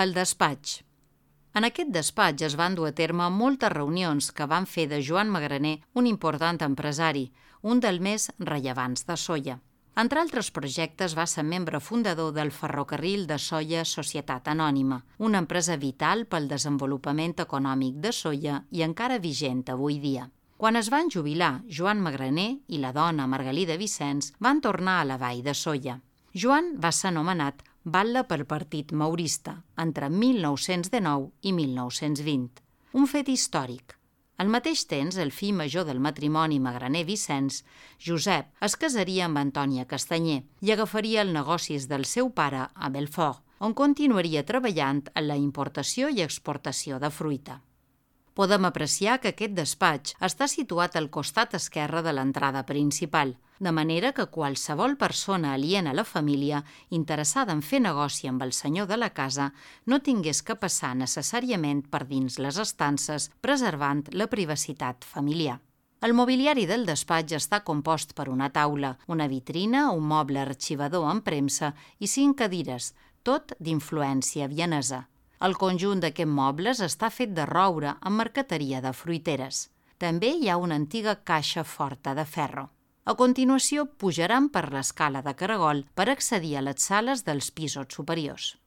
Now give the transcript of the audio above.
El despatx. En aquest despatx es van dur a terme moltes reunions que van fer de Joan Magraner un important empresari, un dels més rellevants de Sóller. Entre altres projectes va ser membre fundador del Ferrocarril de Sóller Societat Anònima, una empresa vital pel desenvolupament econòmic de Sóller i encara vigent avui dia. Quan es van jubilar, Joan Magraner i la dona Margalida Vicens van tornar a la vall de Sóller. Joan va ser nomenat batlle pel Partit Maurista entre 1919 i 1920. Un fet històric. Al mateix temps, el fill major del matrimoni Magraner-Vicens, Josep, es casaria amb Antònia Castanyer i agafaria els negocis del seu pare a Belfort, on continuaria treballant en la importació i exportació de fruita. Podem apreciar que aquest despatx està situat al costat esquerre de l'entrada principal, de manera que qualsevol persona aliena a la família, interessada en fer negoci amb el senyor de la casa, no tingués que passar necessàriament per dins les estances, preservant la privacitat familiar. El mobiliari del despatx està compost per una taula, una vitrina, un moble arxivador amb premsa i 5 cadires, tot d'influència vienesa. El conjunt d'aquests mobles està fet de roure amb marqueteria de fruiteres. També hi ha una antiga caixa forta de ferro. A continuació, pujaran per l'escala de caragol per accedir a les sales dels pisos superiors.